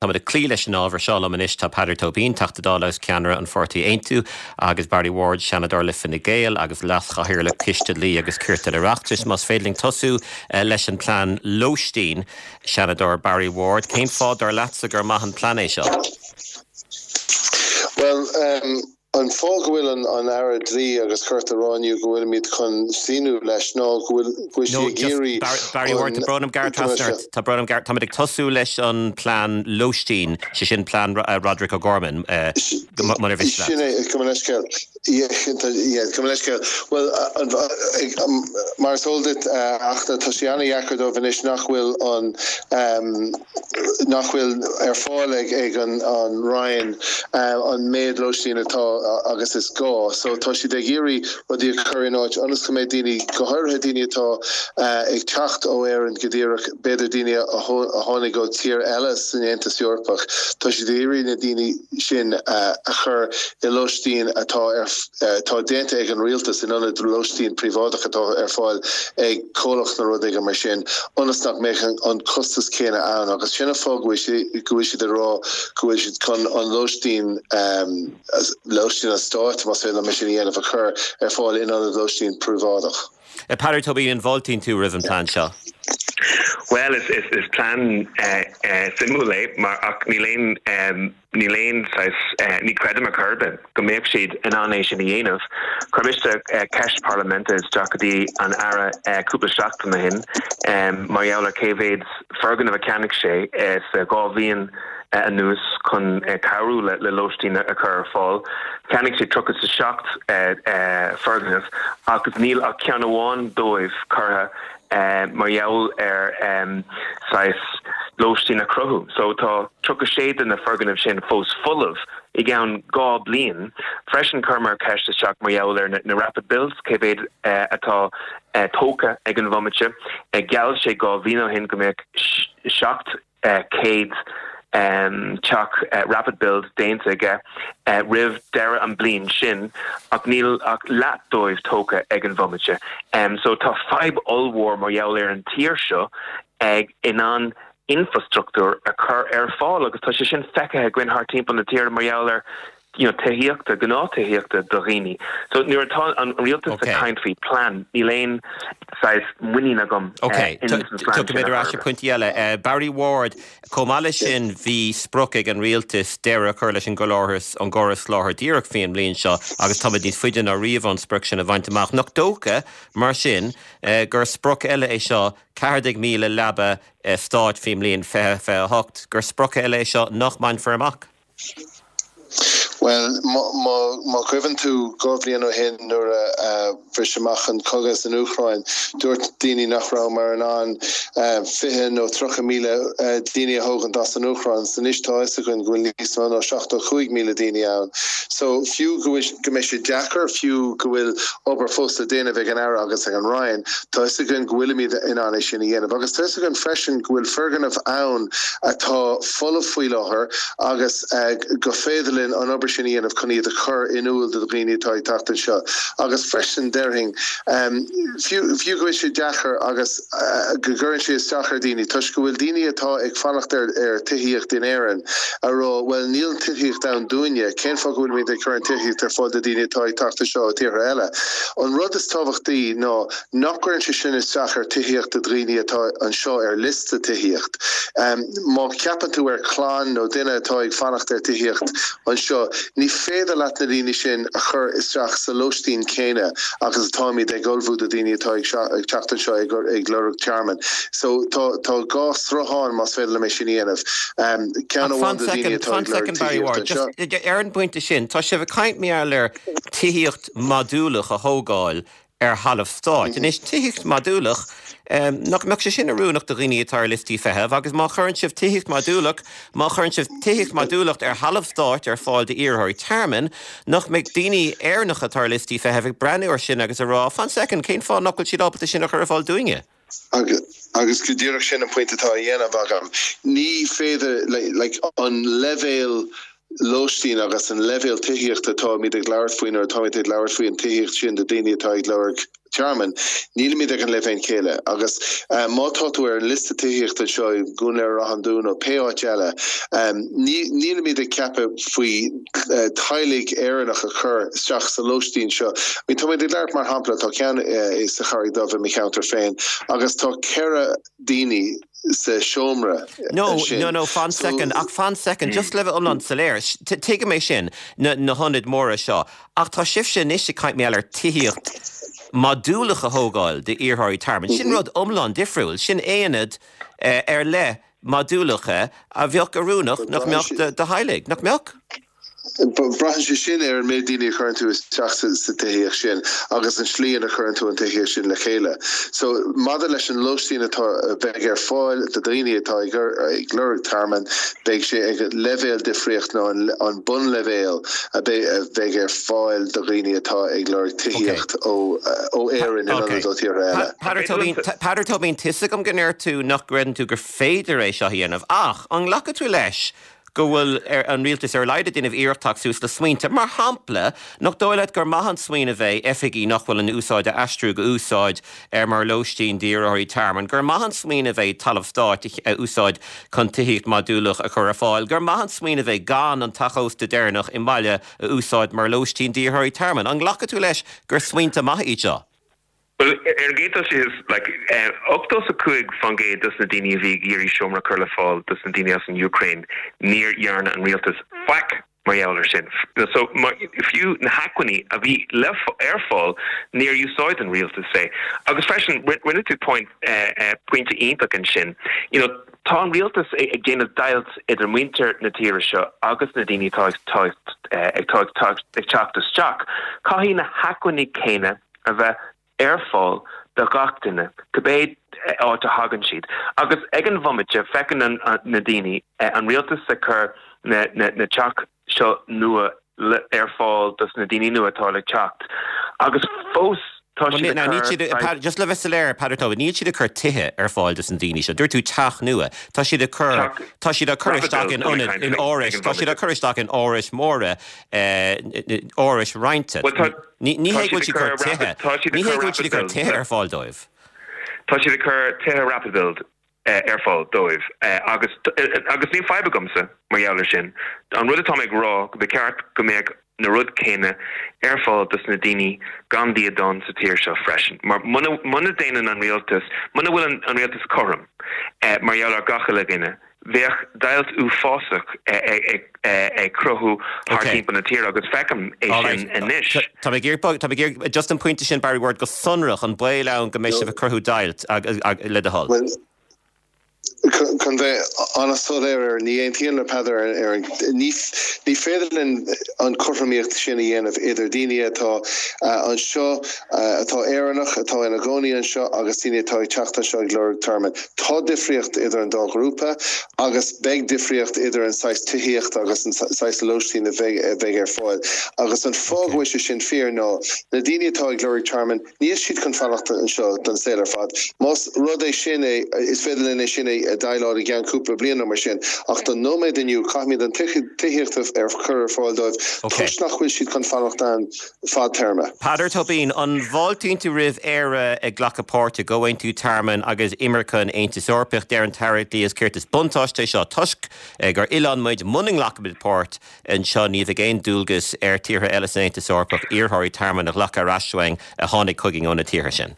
Táimid ag cloí leis an ábhar seo. Liom anois tá Peadar Tóibín, Teachta Dála agus ceannaire an pháirtí Aontú, agus Barry Ward, Seanadóir le Fine Gael agus Leas-Chathaoirleach Coiste Dlí agus Cirt an Oireachtais. Más féidir linn tosú leis an bplean lóistín, Seanadóir Barry Ward, cén fáth dar leatsa gur maith an plean é seo? Bhuel, An fáth go bhfuil an Aire Dlí agus Cirt ag rá inniu go bhfuilimid chun síniú leis ná go bhfuil go bhfuil sí No, ag just, iarraidh Barry, Barry Ward, an tá brón orm gearradh trasna ort, tá brón orm gearradh, táimid ag tosú leis an plean lóistín, sé sin plean Roderic O'Gorman, munar mhiste leat. Sin é, gabh mo leithscéal. Yeah, yeah, gabh mo leithscéal. Bhuel, mar is eol duit, a Fhachtna, tá sé an-dheacair dóibh anois nach bhfuil an, nach bhfuil ar fáil ag an Roinn an méid lóistín atá agus is gá. So tá siad ag iarraidh rudaí a chur in áit ionas go mbeidh daoine, go háirithe daoine atá ag teacht ó Éirinn go díreach, b'fhéidir daoine a tháinig ó tír eile san Aontas Eorpach, tá siad ag iarraidh na daoine sin a chur i lóistín atá ar atá déanta ag an rialtas in ionad lóistín príobháideach atá ar fáil ag comhlacht nó rud éigin mar sin, ionas nach mbeadh an costas céanna ann agus sin an fáth go bhfuil go bhfuil siad ag rá go bhfuil siad chun an lóistín, lóistín an stáit, más féidir liom é sin a dhéanamh, a chur ar fáil in ionad lóistín príobháideach. Peadar Tóibín, an bhfáiltíonn tú roimh an plean seo? Bhuel, is plean suimiúil é mar ach níl aon Níl aon saghas, ní chreidim ar chor ar bith go mbeadh siad in ann é sin a dhéanamh. Chuir mise ceist parlaiminte isteach go dtí an Aire cúpla seachtain ó shin mar gheall ar cé mhéad foirgneamh a cheannaigh sé sa dhá bhliain anuas chun cabhrú le lóistín a chur ar fáil. Cheannaigh sé 37 foirgneamh agus níl ach ceann amháin dóibh curtha mar gheall ar saghas lóistín a chruthú. So tá 36 de na foirgnimh sin fós folamh i gceann 2 bliain. Freisin chuireamar ceist isteach mar gheall ar na rapid builds, cé mhéad atá tógtha ag an bhomaite. Gheall sé 2 bhliain ó shin go mbeadh 700 teach rapid build déanta aige roimh deireadh an bliain sin ach níl ach leath dóibh tógtha ag an bhomaite. So tá fadhb ollmhór mar gheall ar an tír seo ag in ann infrastruchtúr a chur ar fáil agus tá sé sin feicthe againn thart timpeall na tíre mar gheall ar you know, tithíochta, gnáth-tithíochta do dhaoine. So nuair atá an rialtas ag caint faoi plean, níl aon saghas muinín agam Ok, ins an phlean sin tiocfaimid ar ais ar pointí eile. Barry Ward, chomh maith leis sin bhí sprioc ag an rialtas deireadh a chur leis an gcóras, an gcóras soláthair díreach faoin mbliain seo agus táimid níos faide ná riamh ón sprioc sin a bhaint amach. Nach dócha, mar sin, gur sprioc eile é seo, 14,000 leaba stáit faoin mbliain 2028, gur sprioc eile é seo nach mbainfear amach? Bhuel, má chuimhníonn tú 2 bhliain ó shin nuair a bhris amach an cogadh san Úcráin, dúirt daoine nach rabhamar in ann 20 nó 30,000 daoine a thógaint as an Úcráin. So anois tá a fhios againn go bhfuil níos mó ná 75,000 daoine ann. So fiú go bhfuil, go mbeidh sé deacair, fiú go bhfuil obair fós le déanamh ag an Aire agus ag an Roinn, tá a fhios againn go bhfuilimid in ann é sin a dhéanamh. Agus tá a fhios againn freisin go bhfuil foirgnimh ann atá folamh faoi láthair, agus go féidir linn an obair sin a dhéanamh chun iad a chur in iúl do dhaoine atá ag teacht anseo. Agus freisin, déarfainn, fiú fiú go bhfuil sé deacair agus go gcuireann sé isteach ar dhaoine, toisc go bhfuil daoine atá ag fanacht ar ar tithíocht in Éirinn a rá, bhuel, níl an tithíocht ann dúinne, cén fáth go bhfuilimid ag cur an tithíocht ar fáil do dhaoine atá ag teacht anseo ó tíortha eile? An rud is tábhachtaí ná nach gcuireann sé sin isteach ar tithíocht do dhaoine atá anseo ar liosta tithíocht. Má cheapann tú ar chlann nó duine atá ag fanacht ar tithíocht anseo, ní féidir leat na daoine sin a chur isteach sa lóistín céanna agus atáimid ag ullmhú do daoine atá ag teacht anseo ag lorg tearmainn. So tá tá dhá sruthán más féidir liom é sin a dhéanamh. Ceann Ach amháin fan do daoine soicind, atá fan ag lorg soicind Barry tithíocht Ward, anseo. just ar an bpointe sin, tá sibh ag caint mar gheall ar tithíocht modúlach a thógáil ar thalamh stáit. Anois, tithíocht modúlach, nach mbeadh sé sin oiriúnach do dhaoine atá ar liostaí feithimh? Agus má chuireann sibh tithíocht modúlach, má chuireann sibh tithíocht modúlach ar thalamh stáit ar fáil d'iarrthóirí tearmainn, nach mbeidh daoine Éireannacha atá ar liostaí feithimh ag breathnú ar sin agus ag rá, fan soicind, cén fáth nach bhfuil siad ábalta sin a chur ar fáil dúinne? Agus go díreach sin an pointe atá á dhéanamh agam. Ní féidir, like, an leibhéal lóistín agus an leibhéal tithíochta atáimid ag labhairt faoi nuair atáimid ag labhairt faoi an tithíocht sin do daoine atá ag lorg. tearmainn, nílimid ag an leibhéal céanna agus má tá tú ar an liosta tithíochta anseo i gCuan Laoghaire-Ráth an Dúin nó pé áit eile, nílimid ag ceapadh faoi teaghlaigh Éireannach a chur isteach sa lóistín seo. I mean, táimid ag labhairt mar shampla, tá ceann sa Charraig Dhubh i mo cheantar féin agus tá 4 daoine sa seomra No, ansin. no, no, fan soicind, ach fan soicind, just le bheith iomlán soiléir, tuigim é sin, na, na hionaid mhóra seo, ach tá sibhse anois ag caint mar gheall ar tithíocht modúlach a thógáil d'iarrthóirí tearmainn. Sin rud iomlán difriúil, sin aonad ar leith modúlacha a bheadh oiriúnach nach mbeadh do theaghlaigh, nach mbeadh? Braitheann sé sin ar an méid daoine a chuireann tú isteach sa tithíocht sin agus an slí ina chuireann tú an tithíocht sin le chéile. So, maidir leis an lóistín atá, a bheidh ar fáil do dhaoine atá ag ag lorg tearmainn, beidh sé ag leibhéal difríocht ná an bunleibhéal a bheidh ar fáil do dhaoine atá ag lorg tithíocht ó ó Éirinn in ionad ó tíortha eile. Peadar Tóibín, Peadar Tóibín, tá 'fhios agam go ndeir tú nach gcreideann tú gur féidir é seo a dhéanamh ach an nglacfaidh tú leis go bhfuil an rialtas ar a laghad ag déanamh iarracht teacht suas le smaointe. Mar shampla, nach dóigh leat gur maith an smaoineamh é oifigí nach bhfuil in úsáid a aistriú go úsáid mar lóistín d'iarrthóirí tearmainn, gur maith an smaoineamh é talamh stáit a úsáid chun tithíocht modúlach a chur ar fáil, gur maith an smaoineamh é gan an teach ósta deireanach i mbaile a úsáid mar lóistín d'iarrthóirí tearmainn. An nglacfaidh tú leis gur smaointe maithe iad seo? Bhuel, ar an gcéad dul síos, like, 85% dos na daoine a bhí ag iarraidh seomra a chur le fáil dos na daoine as an Úcráin, níor dhearna an rialtas faic mar gheall ar sin. So, fiú na hacmhainní a bhí le, ar fáil, níor úsáid an rialtas é. Agus freisin, rinne tú point, pointe iontach ansin, you know, tá an rialtas ag déanamh deighilt idir muintir na tíre seo agus na daoine atá ag, atá ag teacht isteach. Caithfidh na hacmhainní céanna a bheith ar fáil do gach duine, cibé áit a thagann siad. Agus ag an bhomaite, feiceann na daoine an rialtas ag cur na teach seo nua ar fáil dos na daoine nua atá le teacht, agus fós tá siad ag cur. Just le bheith soiléir, Peadar Tóibín, níl siad ag cur tithe ar fáil dos na daoine seo. Dúirt tú teach nua. Tá siad ag cur, tá siad á cur isteach in ionad, in árais, tá siad á cur isteach in árais mhóra, árais roinnte. Ní hé go bhfuil siad ag cur tithe, ní hé go bhfuil siad ag cur tithe ar fáil dóibh. Tá siad ag cur tithe rapid build ar fáil dóibh agus agus níl fadhb agamsa mar gheall ar sin. An rud atá mé ag rá go ba cheart go mbeadh na rud céanna ar fáil dos na daoine gan Dia donn sa tír seo freisin. Mar muna muna déanann an rialtas, muna bhfuil an rialtas cothrom mar gheall ar gach uile dhuine, Bheadh deighilt uafásach ag cruthú thart timpeall na tíre agus feicim é sin anois. Tá mé ag iarraidh, tá mé ag iarraidh, just an pointe sin Barry Ward, go sonrach, an baol ann go mbeidh sibh ag cruthú deighilt, le do thoil? Bhuel, chun bheith an-soiléir air, ní aontaím le Peadar ar an, ní féidir linn an chothromaíocht sin a dhéanamh idir daoine atá anseo, atá Éireannach, atá ina gcónaí anseo agus daoine atá ag teacht anseo ag lorg tearmainn. Tá difríocht idir an dá ghrúpa agus beidh difríocht idir an saghas tithíochta agus an saghas lóistín a bheidh ar fáil. Agus an fáth go bhfuil sé sin fíor ná na daoine atá ag lorg tearmainn, níl siad chun fanacht anseo don saol ar fad. Más rud é sin é, is féidir linn é sin a dhéileáil i gceann cúpla bliain nó mar sin, ach don nóiméad inniu, caithfimid an tithíocht a chur ar fáil dóibh toisc nach bhfuil siad chun fanacht ann. fadtéarma. Peadar Tóibín, An bhfáiltíonn tú roimh Éire ag glacadh páirt i gComhaontú Tearmainn agus Imirce an Aontais Eorpaigh? Deir an tAire Dlí agus Cirt is buntáiste é seo toisc gur oileán muid. Muna nglacaimid páirt anseo ní bheidh aon dualgas ar tíortha eile san Aontas Eorpach iarrthóirí tearmainn a ghlacadh ar ais uainn a tháinig chugainn ó na tíortha sin.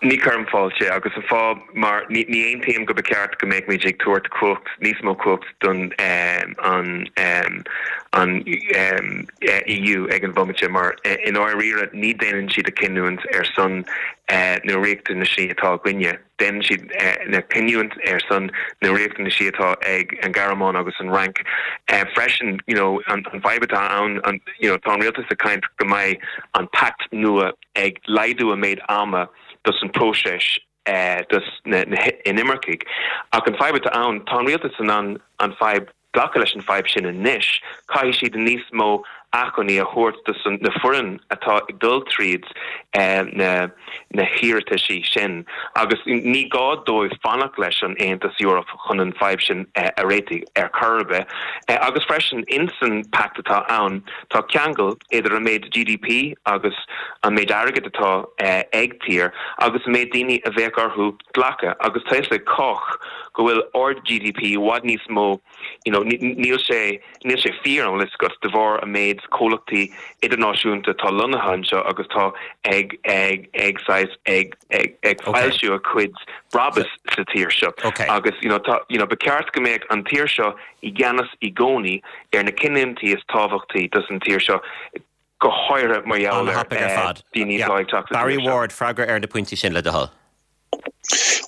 Ní chuirim fáilte, agus an fáth mar ní aontaím go ba cheart go mbeadh muid ag tabhairt cumhacht, níos mó cumhacht don an an EU ag an bhomaite mar i ndáiríre ní déanann siad a cinniúint ar son na riachtanaisí atá againne, déanann siad na cinniúint ar son na riachtanaisí atá ag an Ghearmáin agus an Fhrainc. Freisin, you know, an fadhb atá ann, you know, tá an rialtas ag caint go mbeidh an pact nua ag laghdú an méid ama dos an próiseas dos na inimircigh. Ach an fadhb atá ann, tá an rialtas in ann an fadhb, glacadh leis an fadhb sin anois, caithfidh siad níos mó. acmhainní a thabhairt do na foireann atá ag dul tríd na na hiarrataisí sin agus ní gá dóibh fanacht leis an Aontas Eorpach chun an fadhb sin a réitigh ar chor ar bith. Agus freisin insan pact atá ann tá ceangal idir an méid GDP agus an méid airgid atá ag tír agus an méid daoine a bheadh orthu glacadh agus tá fhios ag cách go bhfuil ard GDP i bhfad níos mó you know níl sé níl sé fíor an bhfuil fhios agat de bharr an méid comhlachtaí idirnáisiúnta atá lonnaithe anseo agus tá ag ag ag saghas ag ag ag foilsiú a cuid brabas sa tír seo agus you know tá you know ba ceart go mbeadh an tír seo i gceannas i gcónaí ar na cinniúintí is tábhachtaí dos an tír seo go háirithe mar gheall ar daoine atá ag teacht sa tír seo. Barry Ward, freagra ar na pointí sin le do thoil.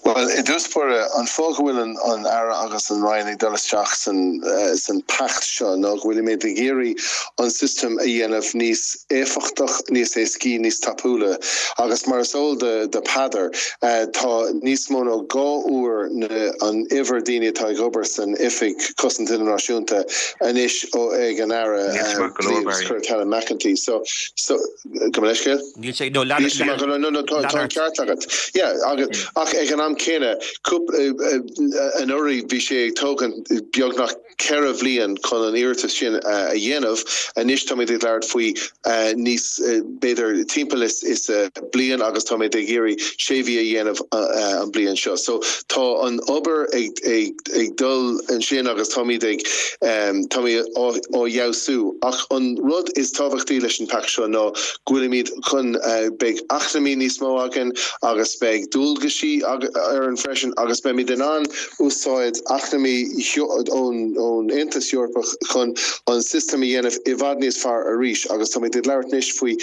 Bhuel, i dtús báire, an fáth go bhfuil an Aire agus an Roinn ag dul isteach san pact seo ná go bhfuilimid ag iarraidh an system a dhéanamh níos éifeachtach, níos éascaí, níos tapúla agus mar is eol do Peadar, tá níos mó ná 2 uair an uimhir daoine atá ag obair san Oifig Cosanta Idirnáisiúnta anois ag an Aire Dlí agus Cirt Helen McEntee. So, Gabh mo leithscéal? Níl sé, no, lean, lean, no, no, no, tá an ceart agat. Yeah, agus, ach ag an am céanna, anuraidh bhí sé ag tógaint beagnach 4 bhliain chun an iarratas sin a dhéanamh. Anois táimid ag labhairt faoi níos, b'fhéidir timpeall is is bliain agus táimid ag iarraidh sé mhí a dhéanamh an bliain seo. So tá an obair ag ag ag dul ansin agus táimid ag, táimid á fheabhsú. Ach an rud is tábhachtaí leis an pact seo ná go bhfuilimid chun, beidh acmhainní níos mó againn agus beidh dualgaisí orainn freisin agus beimid in ann úsáid acmhainní ón Aontas Eorpach chun an sistem a dhéanamh i bhfad níos fearr arís agus táimid ag labhairt anois faoi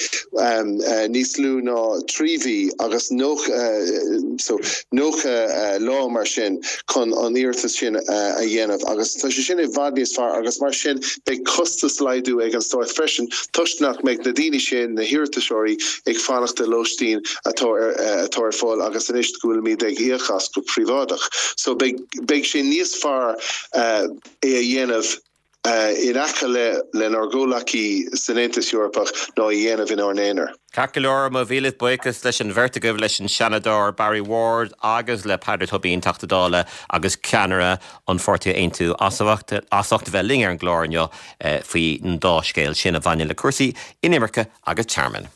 níos lú ná 3 mhí agus 90, so 90 lá mar sin. chun an iarratas sin a dhéanamh agus tá sé sin i bhfad níos fearr agus mar sin beidh costas laghdú ag an Stát freisin toisc nach mbeidh na daoine sin, na hiarratasóirí, ag fanacht i lóistín atá ar atá ar fáil agus anois go bhfuilimid ag íoc as go príobháideach. So beidh beidh sé níos fearr é a dhéanamh in aice le lenár gcomhleacaí san Aontas Eorpach ná a dhéanamh inár n-aonar. Ceart go leor, mo mhíle buíochas leis an bheirt agaibh, leis an Seanadóir Barry Ward agus le Peadar Tóibín, Teachta Dála agus ceannaire an pháirtí Aontú, as ucht a bheith linn ar an gclár inniu faoin dá scéal sin a bhaineann le cúrsaí inimirce agus tearmainn.